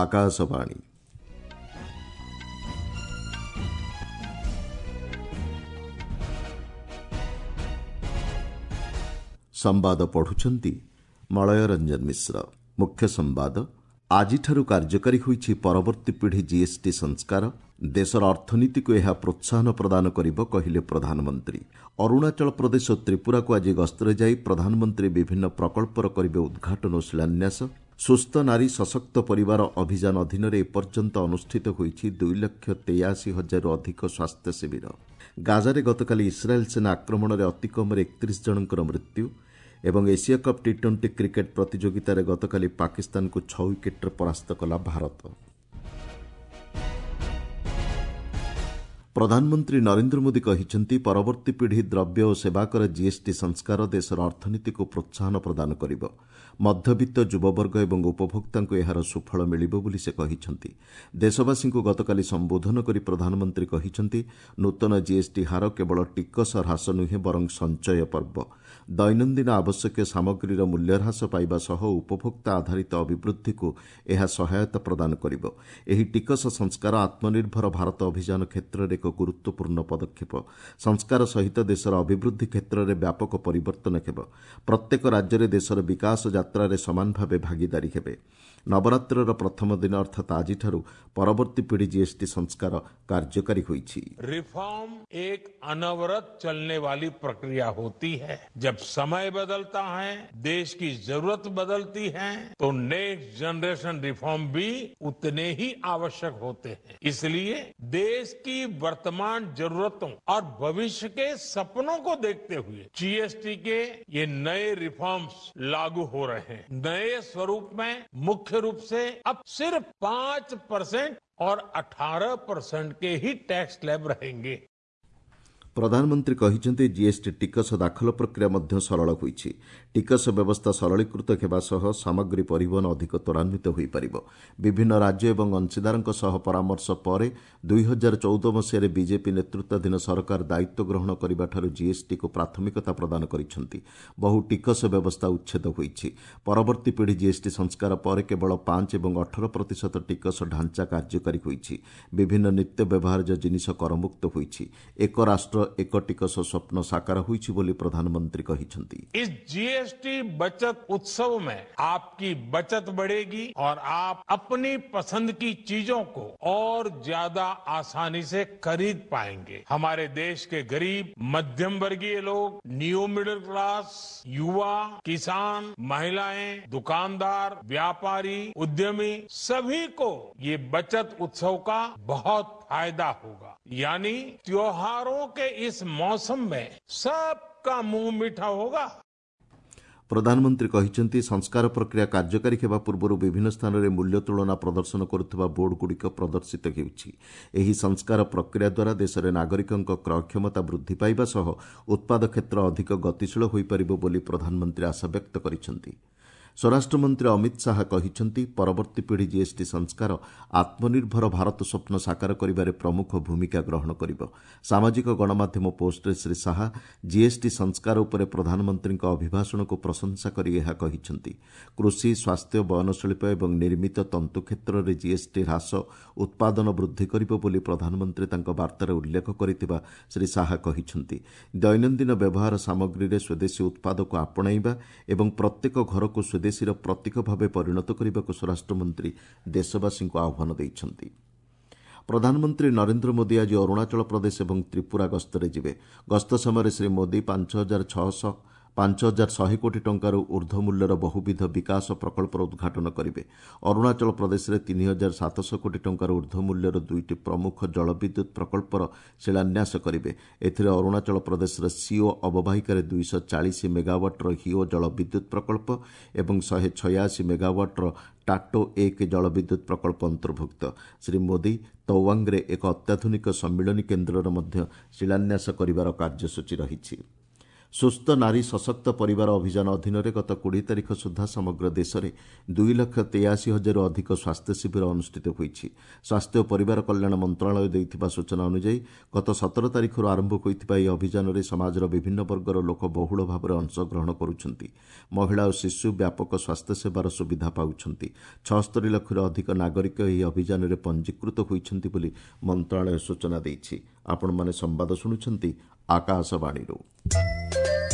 ଆକାଶବାଣୀ। ସମ୍ବାଦ ପଢୁଛନ୍ତି ମଳୟ ରଞ୍ଜନ ମିଶ୍ର। ମୁଖ୍ୟ ସମ୍ବାଦ, ଆଜିଠାରୁ କାର୍ଯ୍ୟକାରୀ ହୋଇଛି ପରବର୍ତ୍ତୀ ପିଢ଼ି ଜିଏସ୍ଟି ସଂସ୍କାର। ଦେଶର ଅର୍ଥନୀତିକୁ ଏହା ପ୍ରୋତ୍ସାହନ ପ୍ରଦାନ କରିବ, କହିଲେ ପ୍ରଧାନମନ୍ତ୍ରୀ। ଅରୁଣାଚଳ ପ୍ରଦେଶ ଓ ତ୍ରିପୁରାକୁ ଆଜି ଗସ୍ତରେ ଯାଇ ପ୍ରଧାନମନ୍ତ୍ରୀ ବିଭିନ୍ନ ପ୍ରକଳ୍ପର କରିବେ ଉଦ୍ଘାଟନ ଓ ଶିଳାନ୍ୟାସ। ସୁସ୍ଥ ନାରୀ ସଶକ୍ତ ପରିବାର ଅଭିଯାନ ଅଧୀନରେ ଏପର୍ଯ୍ୟନ୍ତ ଅନୁଷ୍ଠିତ ହୋଇଛି 2,83,000ରୁ ଅଧିକ ସ୍ୱାସ୍ଥ୍ୟ ଶିବିର। ଗାଜାରେ ଗତକାଲି ଇସ୍ରାଏଲ୍ ସେନା ଆକ୍ରମଣରେ ଅତି କମ୍ରେ 31 ଜଣଙ୍କର ମୃତ୍ୟୁ। ଏବଂ ଏସିଆ କପ୍ ଟି-20 କ୍ରିକେଟ୍ ପ୍ରତିଯୋଗିତାରେ ଗତକାଲି ପାକିସ୍ତାନକୁ 6 ୱିକେଟ୍ରେ ପରାସ୍ତ କଲା ଭାରତ। ପ୍ରଧାନମନ୍ତ୍ରୀ ନରେନ୍ଦ୍ର ମୋଦି କହିଛନ୍ତି, ପରବର୍ତ୍ତୀ ପିଢ଼ି ଦ୍ରବ୍ୟ ଓ ସେବାକର ଜିଏସ୍ଟି ସଂସ୍କାର ଦେଶର ଅର୍ଥନୀତିକୁ ପ୍ରୋତ୍ସାହନ ପ୍ରଦାନ କରିବ। ମଧ୍ୟବିତ୍ତ, ଯୁବବର୍ଗ ଏବଂ ଉପଭୋକ୍ତାଙ୍କୁ ଏହାର ସୁଫଳ ମିଳିବ ବୋଲି ସେ କହିଛନ୍ତି। ଦେଶବାସୀଙ୍କୁ ଗତକାଲି ସମ୍ବୋଧନ କରି ପ୍ରଧାନମନ୍ତ୍ରୀ କହିଛନ୍ତି, ନୂତନ ଜିଏସ୍ଟି ହାର କେବଳ ଟିକସ ହ୍ରାସ ନୁହେଁ, ବରଂ ସଞ୍ଚୟ ପର୍ବ। ଦୈନନ୍ଦିନ ଆବଶ୍ୟକୀୟ ସାମଗ୍ରୀର ମୂଲ୍ୟ ହ୍ରାସ ପାଇବା ସହ ଉପଭୋକ୍ତା ଆଧାରିତ ଅଭିବୃଦ୍ଧିକୁ ଏହା ସହାୟତା ପ୍ରଦାନ କରିବ। ଏହି ଟିକସ ସଂସ୍କାର ଆତ୍ମନିର୍ଭର ଭାରତ ଅଭିଯାନ କ୍ଷେତ୍ରରେ ଏକ ଗୁରୁତ୍ୱପୂର୍ଣ୍ଣ ପଦକ୍ଷେପ। ସଂସ୍କାର ସହିତ ଦେଶର ଅଭିବୃଦ୍ଧି କ୍ଷେତ୍ରରେ ବ୍ୟାପକ ପରିବର୍ତ୍ତନ ହେବ। ପ୍ରତ୍ୟେକ ରାଜ୍ୟରେ ଦେଶର ବିକାଶ ଯାତ୍ରାରେ ସମାନ ଭାବେ ଭାଗିଦାରୀ ହେବେ। ନବରାତ୍ରର ପ୍ରଥମ ଦିନ ଅର୍ଥାତ୍ ଆଜିଠାରୁ ପରବର୍ତ୍ତୀ ପିଢ଼ି ଜିଏସ୍ଟି ସଂସ୍କାର କାର୍ଯ୍ୟକାରୀ ହୋଇଛି। रिफॉर्म एक अनवरत चलने वाली प्रक्रिया होती है। जब समय बदलता है, देश की जरूरत बदलती है, तो नेक्स्ट जनरेशन रिफॉर्म भी उतने ही आवश्यक होते हैं। इसलिए देश की वर्तमान जरूरतों और भविष्य के सपनों को देखते हुए जीएसटी के ये नए रिफॉर्म्स लागू हो रहे हैं। नए स्वरूप में मुख्य रूप से अब सिर्फ 5% और 18% के ही टैक्स स्लैब रहेंगे। ପ୍ରଧାନମନ୍ତ୍ରୀ କହିଛନ୍ତି, ଜିଏସ୍ଟି ଟିକସ ଦାଖଲ ପ୍ରକ୍ରିୟା ମଧ୍ୟ ସରଳ ହୋଇଛି। ଟିକସ ବ୍ୟବସ୍ଥା ସରଳୀକୃତ ହେବା ସହ ସାମଗ୍ରୀ ପରିବହନ ଅଧିକ ତ୍ୱରାନ୍ୱିତ ହୋଇପାରିବ। ବିଭିନ୍ନ ରାଜ୍ୟ ଏବଂ ଅଂଶୀଦାରଙ୍କ ସହ ପରାମର୍ଶ ପରେ 2014 ମସିହାରେ ବିଜେପି ନେତୃତ୍ୱାଧୀନ ସରକାର ଦାୟିତ୍ୱ ଗ୍ରହଣ କରିବାଠାରୁ ଜିଏସ୍ଟିକୁ ପ୍ରାଥମିକତା ପ୍ରଦାନ କରିଛନ୍ତି। ବହୁ ଟିକସ ବ୍ୟବସ୍ଥା ଉଚ୍ଛେଦ ହୋଇଛି। ପରବର୍ତ୍ତୀ ପିଢ଼ି ଜିଏସ୍ଟି ସଂସ୍କାର ପରେ କେବଳ 5 ଏବଂ 18% ଟିକସ ଢାଞ୍ଚା କାର୍ଯ୍ୟକାରୀ ହୋଇଛି। ବିଭିନ୍ନ ନିତ୍ୟ ବ୍ୟବହାର୍ଯ୍ୟ ଜିନିଷ କରମୁକ୍ତ ହୋଇଛି। ଏକ ରାଷ୍ଟ୍ର ଏକ ଟିକସ ସ୍ୱପ୍ନ ସାକାର ହୋଇଛି ବୋଲି ପ୍ରଧାନମନ୍ତ୍ରୀ କହିଛନ୍ତି। इस जीएसटी बचत उत्सव में आपकी बचत बढ़ेगी और आप अपनी पसंद की चीजों को और ज्यादा आसानी से खरीद पाएंगे। हमारे देश के गरीब, मध्यम वर्गीय लोग, न्यू मिडिल क्लास, युवा, किसान, महिलाएं, दुकानदार, व्यापारी, उद्यमी, सभी को ये बचत उत्सव का बहुत फायदा होगा। यानी त्योहारों के इस मौसम में सबका मुंह मीठा होगा। ପ୍ରଧାନମନ୍ତ୍ରୀ କହିଛନ୍ତି, ସଂସ୍କାର ପ୍ରକ୍ରିୟା କାର୍ଯ୍ୟକାରୀ ହେବା ପୂର୍ବରୁ ବିଭିନ୍ନ ସ୍ଥାନରେ ମୂଲ୍ୟ ତୁଳନା ପ୍ରଦର୍ଶନ କରୁଥିବା ବୋର୍ଡଗୁଡ଼ିକ ପ୍ରଦର୍ଶିତ ହେଉଛି। ଏହି ସଂସ୍କାର ପ୍ରକ୍ରିୟା ଦ୍ୱାରା ଦେଶରେ ନାଗରିକଙ୍କ କ୍ରୟ କ୍ଷମତା ବୃଦ୍ଧି ପାଇବା ସହ ଉତ୍ପାଦ କ୍ଷେତ୍ର ଅଧିକ ଗତିଶୀଳ ହୋଇପାରିବ ବୋଲି ପ୍ରଧାନମନ୍ତ୍ରୀ ଆଶାବ୍ୟକ୍ତ କରିଛନ୍ତି। ସ୍ୱରାଷ୍ଟ୍ରମନ୍ତ୍ରୀ ଅମିତ ଶାହା କହିଛନ୍ତି, ପରବର୍ତ୍ତୀ ପିଢ଼ି ଜିଏସ୍ଟି ସଂସ୍କାର ଆତ୍ମନିର୍ଭର ଭାରତ ସ୍ୱପ୍ନ ସାକାର କରିବାରେ ପ୍ରମୁଖ ଭୂମିକା ଗ୍ରହଣ କରିବ। ସାମାଜିକ ଗଣମାଧ୍ୟମ ପୋଷ୍ଟରେ ଶ୍ରୀ ଶାହା ଜିଏସ୍ଟି ସଂସ୍କାର ଉପରେ ପ୍ରଧାନମନ୍ତ୍ରୀଙ୍କ ଅଭିଭାଷଣକୁ ପ୍ରଶଂସା କରି ଏହା କହିଛନ୍ତି। କୃଷି, ସ୍ୱାସ୍ଥ୍ୟ, ବୟନଶିଳ୍ପ ଏବଂ ନିର୍ମିତ ତନ୍ତୁ କ୍ଷେତ୍ରରେ ଜିଏସ୍ଟି ହ୍ରାସ ଉତ୍ପାଦନ ବୃଦ୍ଧି କରିବ ବୋଲି ପ୍ରଧାନମନ୍ତ୍ରୀ ତାଙ୍କ ବାର୍ତ୍ତାରେ ଉଲ୍ଲେଖ କରିଥିବା ଶ୍ରୀ ଶାହା କହିଛନ୍ତି। ଦୈନନ୍ଦିନ ବ୍ୟବହାର ସାମଗ୍ରୀରେ ସ୍ୱଦେଶୀ ଉତ୍ପାଦକୁ ଆପଣାଇବା ଏବଂ ପ୍ରତ୍ୟେକ ଘରକୁ ସ୍ୱଦେଶୀର ପ୍ରତୀକ ଭାବେ ପରିଣତ କରିବାକୁ ସ୍ୱରାଷ୍ଟ୍ରମନ୍ତ୍ରୀ ଦେଶବାସୀଙ୍କୁ ଆହ୍ୱାନ ଦେଇଛନ୍ତି। ପ୍ରଧାନମନ୍ତ୍ରୀ ନରେନ୍ଦ୍ର ମୋଦି ଆଜି ଅରୁଣାଚଳ ପ୍ରଦେଶ ଏବଂ ତ୍ରିପୁରା ଗସ୍ତରେ ଯିବେ। ଗସ୍ତ ସମୟରେ ଶ୍ରୀ ମୋଦି 5600 5100 କୋଟି ଟଙ୍କାରୁ ଉର୍ଦ୍ଧ୍ୱ ମୂଲ୍ୟର ବହୁବିଧ ବିକାଶ ପ୍ରକଳ୍ପର ଉଦ୍ଘାଟନ କରିବେ। ଅରୁଣାଚଳ ପ୍ରଦେଶରେ 3700 କୋଟି ଟଙ୍କାରୁ ଉର୍ଦ୍ଧ୍ୱ ମୂଲ୍ୟର ଦୁଇଟି ପ୍ରମୁଖ ଜଳବିଦ୍ୟୁତ୍ ପ୍ରକଳ୍ପର ଶିଳାନ୍ୟାସ କରିବେ। ଏଥିରେ ଅରୁଣାଚଳ ପ୍ରଦେଶର ସିଓ ଅବବାହିକାରେ 240 ମେଗାୱାଟ୍ର ହିଓ ଜଳବିଦ୍ୟୁତ୍ ପ୍ରକଳ୍ପ ଏବଂ 186 ମେଗାୱାଟ୍ର ଟାଟୋ 1 ଜଳବିଦ୍ୟୁତ୍ ପ୍ରକଳ୍ପ ଅନ୍ତର୍ଭୁକ୍ତ। ଶ୍ରୀ ମୋଦି ତୱାଙ୍ଗରେ ଏକ ଅତ୍ୟାଧୁନିକ ସମ୍ମିଳନୀ କେନ୍ଦ୍ରର ମଧ୍ୟ ଶିଳାନ୍ୟାସ କରିବାର କାର୍ଯ୍ୟସୂଚୀ ରହିଛି। ସୁସ୍ଥ ନାରୀ ସଶକ୍ତ ପରିବାର ଅଭିଯାନ ଅଧୀନରେ ଗତ 20 ତାରିଖ ସୁଦ୍ଧା ସମଗ୍ର ଦେଶରେ 2,83,000ରୁ ଅଧିକ ସ୍ୱାସ୍ଥ୍ୟ ଶିବିର ଅନୁଷ୍ଠିତ ହୋଇଛି। ସ୍ୱାସ୍ଥ୍ୟ ଓ ପରିବାର କଲ୍ୟାଣ ମନ୍ତ୍ରଣାଳୟ ଦେଇଥିବା ସୂଚନା ଅନୁଯାୟୀ ଗତ 17 ତାରିଖରୁ ଆରମ୍ଭ ହୋଇଥିବା ଏହି ଅଭିଯାନରେ ସମାଜର ବିଭିନ୍ନ ବର୍ଗର ଲୋକ ବହୁଳ ଭାବରେ ଅଂଶଗ୍ରହଣ କରୁଛନ୍ତି। ମହିଳା ଓ ଶିଶୁ ବ୍ୟାପକ ସ୍ୱାସ୍ଥ୍ୟସେବାର ସୁବିଧା ପାଉଛନ୍ତି। 76 ଲକ୍ଷରୁ ଅଧିକ ନାଗରିକ ଏହି ଅଭିଯାନରେ ପଞ୍ଜୀକୃତ ହୋଇଛନ୍ତି ବୋଲି ମନ୍ତ୍ରଣାଳୟ ସୂଚନା ଦେଇଛି। ଆପଣମାନେ ସମ୍ବାଦ ଶୁଣୁଛନ୍ତି ଆକାଶବାଣୀରୁ।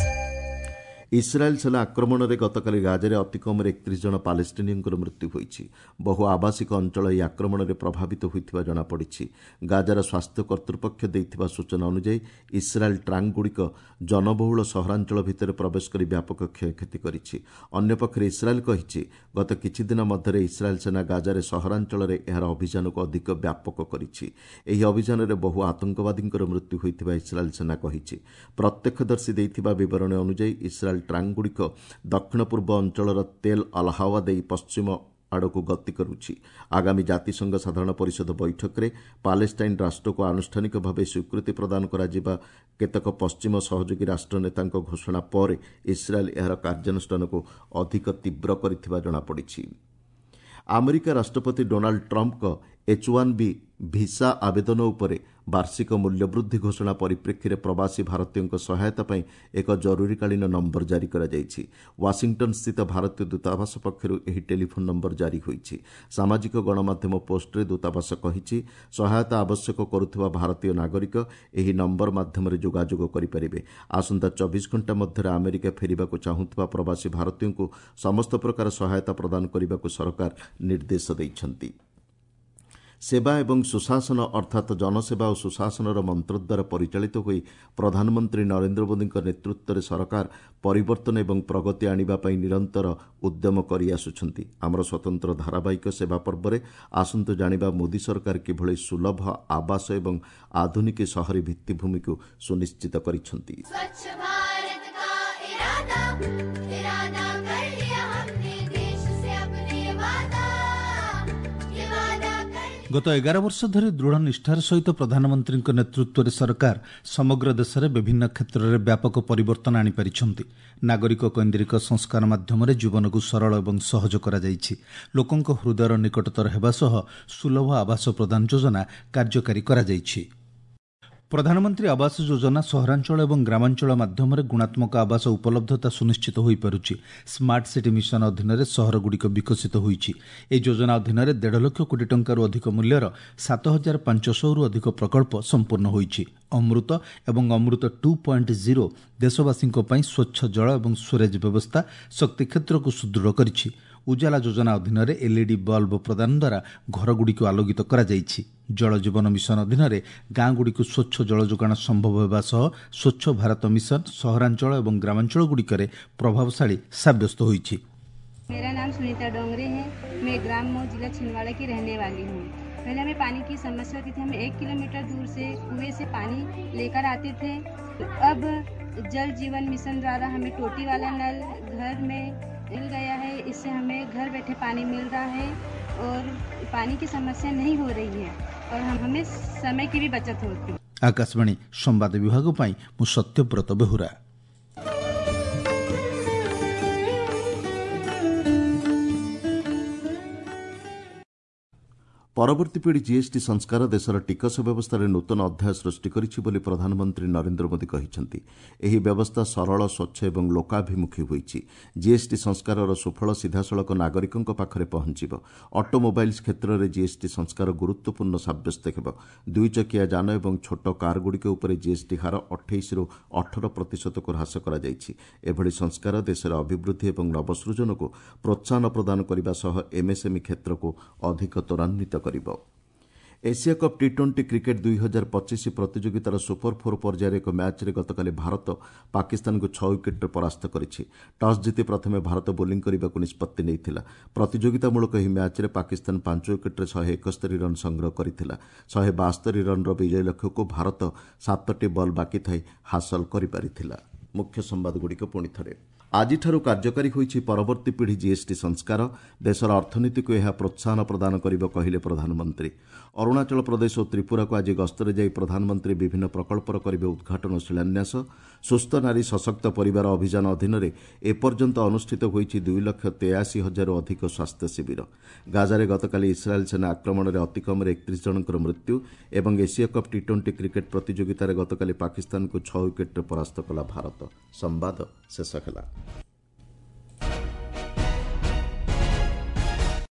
ଇସ୍ରାଏଲ୍ ସେନା ଆକ୍ରମଣରେ ଗତକାଲି ଗାଜାରେ ଅତି କମ୍ରେ 31 ଜଣ ପାଲେଷ୍ଟିନୀୟଙ୍କର ମୃତ୍ୟୁ ହୋଇଛି। ବହୁ ଆବାସିକ ଅଞ୍ଚଳ ଏହି ଆକ୍ରମଣରେ ପ୍ରଭାବିତ ହୋଇଥିବା ଜଣାପଡ଼ିଛି। ଗାଜାର ସ୍ୱାସ୍ଥ୍ୟ କର୍ତ୍ତୃପକ୍ଷ ଦେଇଥିବା ସୂଚନା ଅନୁଯାୟୀ ଇସ୍ରାଏଲ୍ ଟ୍ରାଙ୍କଗୁଡ଼ିକ ଜନବହୁଳ ସହରାଞ୍ଚଳ ଭିତରେ ପ୍ରବେଶ କରି ବ୍ୟାପକ କ୍ଷୟକ୍ଷତି କରିଛି। ଅନ୍ୟପକ୍ଷରେ ଇସ୍ରାଏଲ୍ କହିଛି, ଗତ କିଛିଦିନ ମଧ୍ୟରେ ଇସ୍ରାଏଲ୍ ସେନା ଗାଜାରେ ସହରାଞ୍ଚଳରେ ଏହାର ଅଭିଯାନକୁ ଅଧିକ ବ୍ୟାପକ କରିଛି। ଏହି ଅଭିଯାନରେ ବହୁ ଆତଙ୍କବାଦୀଙ୍କର ମୃତ୍ୟୁ ହୋଇଥିବା ଇସ୍ରାଏଲ୍ ସେନା କହିଛି। ପ୍ରତ୍ୟକ୍ଷଦର୍ଶୀ ଦେଇଥିବା ବିବରଣୀ ଅନୁଯାୟୀ ଇସ୍ରାଏଲ୍ ଟ୍ରାଙ୍କଗୁଡ଼ିକ ଦକ୍ଷିଣ ପୂର୍ବ ଅଞ୍ଚଳର ତେଲ୍ ଅଲହାୱା ଦେଇ ପଶ୍ଚିମ ଆଡ଼କୁ ଗତି କରୁଛି। ଆଗାମୀ ଜାତିସଂଘ ସାଧାରଣ ପରିଷଦ ବୈଠକରେ ପାଲେଷ୍ଟାଇନ୍ ରାଷ୍ଟ୍ରକୁ ଆନୁଷ୍ଠାନିକ ଭାବେ ସ୍ୱୀକୃତି ପ୍ରଦାନ କରାଯିବା କେତେକ ପଶ୍ଚିମ ସହଯୋଗୀ ରାଷ୍ଟ୍ରନେତାଙ୍କ ଘୋଷଣା ପରେ ଇସ୍ରାଏଲ୍ ଏହାର କାର୍ଯ୍ୟାନୁଷ୍ଠାନକୁ ଅଧିକ ତୀବ୍ର କରିଥିବା ଜଣାପଡ଼ିଛି। ଆମେରିକା ରାଷ୍ଟ୍ରପତି ଡୋନାଲ୍ଡ ଟ୍ରମ୍ପଙ୍କ H-1B visa ଆବେଦନ ଉପରେ ବାର୍ଷିକ ମୂଲ୍ୟବୃଦ୍ଧି ଘୋଷଣା ପରିପ୍ରେକ୍ଷୀରେ ପ୍ରବାସୀ ଭାରତୀୟଙ୍କ ସହାୟତା ପାଇଁ ଏକ ଜରୁରୀକାଳୀନ ନମ୍ବର ଜାରି କରାଯାଇଛି। ୱାଶିଂଟନ୍ସ୍ଥିତ ଭାରତୀୟ ଦୂତାବାସ ପକ୍ଷରୁ ଏହି ଟେଲିଫୋନ୍ ନମ୍ବର ଜାରି ହୋଇଛି। ସାମାଜିକ ଗଣମାଧ୍ୟମ ପୋଷ୍ଟରେ ଦୂତାବାସ କହିଛି, ସହାୟତା ଆବଶ୍ୟକ କରୁଥିବା ଭାରତୀୟ ନାଗରିକ ଏହି ନମ୍ବର ମାଧ୍ୟମରେ ଯୋଗାଯୋଗ କରିପାରିବେ। ଆସନ୍ତା 24 ଘଣ୍ଟା ମଧ୍ୟରେ ଆମେରିକା ଫେରିବାକୁ ଚାହୁଁଥିବା ପ୍ରବାସୀ ଭାରତୀୟଙ୍କୁ ସମସ୍ତ ପ୍ରକାର ସହାୟତା ପ୍ରଦାନ କରିବାକୁ ସରକାର ନିର୍ଦ୍ଦେଶ ଦେଇଛନ୍ତି। ସେବା ଏବଂ ସୁଶାସନ ଅର୍ଥାତ୍ ଜନସେବା ଓ ସୁଶାସନର ମନ୍ତ୍ର ଦ୍ୱାରା ପରିଚାଳିତ ହୋଇ ପ୍ରଧାନମନ୍ତ୍ରୀ ନରେନ୍ଦ୍ର ମୋଦିଙ୍କ ନେତୃତ୍ୱରେ ସରକାର ପରିବର୍ତ୍ତନ ଏବଂ ପ୍ରଗତି ଆଣିବା ପାଇଁ ନିରନ୍ତର ଉଦ୍ୟମ କରିଆସୁଛନ୍ତି। ଆମର ସ୍ୱତନ୍ତ୍ର ଧାରାବାହିକ ସେବା ପର୍ବରେ ଆସନ୍ତୁ ଜାଣିବା ମୋଦି ସରକାର କିଭଳି ସୁଲଭ ଆବାସ ଏବଂ ଆଧୁନିକ ସହରୀ ଭିତ୍ତିଭୂମିକୁ ସୁନିଶ୍ଚିତ କରିଛନ୍ତି। ଗତ 11 ବର୍ଷ ଧରି ଦୃଢ଼ ନିଷ୍ଠାର ସହିତ ପ୍ରଧାନମନ୍ତ୍ରୀଙ୍କ ନେତୃତ୍ୱରେ ସରକାର ସମଗ୍ର ଦେଶରେ ବିଭିନ୍ନ କ୍ଷେତ୍ରରେ ବ୍ୟାପକ ପରିବର୍ତ୍ତନ ଆଣିପାରିଛନ୍ତି। ନାଗରିକ କୈନ୍ଦ୍ରିକ ସଂସ୍କାର ମାଧ୍ୟମରେ ଜୀବନକୁ ସରଳ ଏବଂ ସହଜ କରାଯାଇଛି। ଲୋକଙ୍କ ହୃଦୟର ନିକଟତର ହେବା ସହ ସୁଲଭ ଆବାସ ପ୍ରଦାନ ଯୋଜନା କାର୍ଯ୍ୟକାରୀ କରାଯାଇଛି। ପ୍ରଧାନମନ୍ତ୍ରୀ ଆବାସ ଯୋଜନା ସହରାଞ୍ଚଳ ଏବଂ ଗ୍ରାମାଞ୍ଚଳ ମାଧ୍ୟମରେ ଗୁଣାତ୍ମକ ଆବାସ ଉପଲବ୍ଧତା ସୁନିଶ୍ଚିତ ହୋଇପାରୁଛି। ସ୍ମାର୍ଟ ସିଟି ମିଶନ ଅଧୀନରେ ସହରଗୁଡ଼ିକ ବିକଶିତ ହୋଇଛି। ଏହି ଯୋଜନା ଅଧୀନରେ 1.5 ଲକ୍ଷ କୋଟି ଟଙ୍କାରୁ ଅଧିକ ମୂଲ୍ୟର 7,500ରୁ ଅଧିକ ପ୍ରକଳ୍ପ ସମ୍ପୂର୍ଣ୍ଣ ହୋଇଛି। ଅମୃତ ଏବଂ ଅମୃତ 2.0 ଦେଶବାସୀଙ୍କ ପାଇଁ ସ୍ୱଚ୍ଛ ଜଳ ଏବଂ ସ୍ୱରେଜ ବ୍ୟବସ୍ଥା ଶକ୍ତି କ୍ଷେତ୍ରକୁ ସୁଦୃଢ଼ କରିଛି। ଉଜାଲା ଯୋଜନା ଅଧୀନରେ ଏଲ୍ଇଡି ବଲ୍ବ ପ୍ରଦାନ ଦ୍ୱାରା ଘରଗୁଡ଼ିକୁ ଆଲୋକିତ କରାଯାଇଛି। ଜଳ ଜୀବନ ମିଶନ ଅଧୀନରେ ଗାଁଗୁଡ଼ିକୁ ସ୍ୱଚ୍ଛ ଜଳ ଯୋଗାଣ ସମ୍ଭବ ହେବା ସହ ସ୍ୱଚ୍ଛ ଭାରତ ମିଶନ ସହରାଞ୍ଚଳ ଏବଂ ଗ୍ରାମାଞ୍ଚଳଗୁଡ଼ିକରେ ପ୍ରଭାବଶାଳୀ ସାବ୍ୟସ୍ତ ହୋଇଛି। मेरा नाम सुनीता डोंगरे है। मैं ग्राम मऊ जिला छिंदवाड़ा की रहने वाली हूँ। पहले हमें पानी की समस्या होती थी। हम 1 किलोमीटर दूर से कुएं से पानी लेकर आते थे। अब जल जीवन मिशन द्वारा हमें टोटी वाला नल घर में मिल गया है। इससे हमें घर बैठे पानी मिल रहा है और पानी की समस्या नहीं हो रही है और हमें समय की भी बचत होती है। ଆକାଶବାଣୀ ସମ୍ବାଦ ବିଭାଗ ପାଇଁ ମୁଁ ସତ୍ୟବ୍ରତ ବେହୁରା। ପରବର୍ତ୍ତୀ ପିଢ଼ି ଜିଏସ୍ଟି ସଂସ୍କାର ଦେଶର ଟିକସ ବ୍ୟବସ୍ଥାରେ ନୂତନ ଅଧ୍ୟାୟ ସୃଷ୍ଟି କରିଛି ବୋଲି ପ୍ରଧାନମନ୍ତ୍ରୀ ନରେନ୍ଦ୍ର ମୋଦି କହିଛନ୍ତି। ଏହି ବ୍ୟବସ୍ଥା ସରଳ, ସ୍ୱଚ୍ଛ ଏବଂ ଲୋକାଭିମୁଖୀ ହୋଇଛି। ଜିଏସ୍ଟି ସଂସ୍କାରର ସୁଫଳ ସିଧାସଳଖ ନାଗରିକଙ୍କ ପାଖରେ ପହଞ୍ଚିବ। ଅଟୋମୋବାଇଲ୍ସ କ୍ଷେତ୍ରରେ ଜିଏସ୍ଟି ସଂସ୍କାର ଗୁରୁତ୍ୱପୂର୍ଣ୍ଣ ସାବ୍ୟସ୍ତ ହେବ। ଦୁଇଚକିଆ ଯାନ ଏବଂ ଛୋଟ କାରଗୁଡ଼ିକ ଉପରେ ଜିଏସ୍ଟି ହାର 28ରୁ 18% ହ୍ରାସ କରାଯାଇଛି। ଏଭଳି ସଂସ୍କାର ଦେଶରେ ଅଭିବୃଦ୍ଧି ଏବଂ ନବସୃଜନକୁ ପ୍ରୋତ୍ସାହନ ପ୍ରଦାନ କରିବା ସହ ଏମ୍ଏସ୍ଏମ୍ଇ କ୍ଷେତ୍ରକୁ ଅଧିକ ତ୍ୱରାନ୍ୱିତ କରିବ। ଏସିଆ କପ୍ ଟି-20 କ୍ରିକେଟ୍ 2025 ପ୍ରତିଯୋଗିତାର ସୁପର ଫୋର୍ ପର୍ଯ୍ୟାୟରେ ଏକ ମ୍ୟାଚ୍ରେ ଗତକାଲି ଭାରତ ପାକିସ୍ତାନକୁ 6 ୱିକେଟ୍ରେ ପରାସ୍ତ କରିଛି। ଟସ୍ ଜିତି ପ୍ରଥମେ ଭାରତ ବୋଲିଂ କରିବାକୁ ନିଷ୍ପତ୍ତି ନେଇଥିଲା। ପ୍ରତିଯୋଗିତାମୂଳକ ଏହି ମ୍ୟାଚ୍ରେ ପାକିସ୍ତାନ 5 ୱିକେଟ୍ରେ 171 ରନ୍ ସଂଗ୍ରହ କରିଥିଲା। 172 ରନ୍ର ବିଜୟ ଲକ୍ଷ୍ୟକୁ ଭାରତ 7ଟି ବଲ୍ ବାକି ଥାଇ ହାସଲ କରିପାରିଥିଲା। ମୁଖ୍ୟ ସମ୍ବାଦଗୁଡ଼ିକ ପୁଣି ଥରେ। ଆଜିଠାରୁ କାର୍ଯ୍ୟକାରୀ ହୋଇଛି ପରବର୍ତ୍ତୀ ପିଢ଼ି ଜିଏସ୍ଟି ସଂସ୍କାର। ଦେଶର ଅର୍ଥନୀତିକୁ ଏହା ପ୍ରୋତ୍ସାହନ ପ୍ରଦାନ କରିବ, କହିଲେ ପ୍ରଧାନମନ୍ତ୍ରୀ। ଅରୁଣାଚଳ ପ୍ରଦେଶ ଓ ତ୍ରିପୁରାକୁ ଆଜି ଗସ୍ତରେ ଯାଇ ପ୍ରଧାନମନ୍ତ୍ରୀ ବିଭିନ୍ନ ପ୍ରକଳ୍ପର କରିବେ ଉଦ୍ଘାଟନ ଓ ଶିଳାନ୍ୟାସ। ସୁସ୍ଥ ନାରୀ ସଶକ୍ତ ପରିବାର ଅଭିଯାନ ଅଧୀନରେ ଏପର୍ଯ୍ୟନ୍ତ ଅନୁଷ୍ଠିତ ହୋଇଛି 2,83,000ରୁ ଅଧିକ ସ୍ୱାସ୍ଥ୍ୟ ଶିବିର। ଗାଜାରେ ଗତକାଲି ଇସ୍ରାଏଲ୍ ସେନା ଆକ୍ରମଣରେ ଅତିକମ୍ରେ 31 ଜଣଙ୍କର ମୃତ୍ୟୁ ଏବଂ ଏସୀୟ କପ୍ ଟି-20 କ୍ରିକେଟ୍ ପ୍ରତିଯୋଗିତାରେ ଗତକାଲି ପାକିସ୍ତାନକୁ 6 ୱିକେଟ୍ରେ ପରାସ୍ତ କଲା ଭାରତ। ସମ୍ବାଦ ଶେଷ ହେଲା।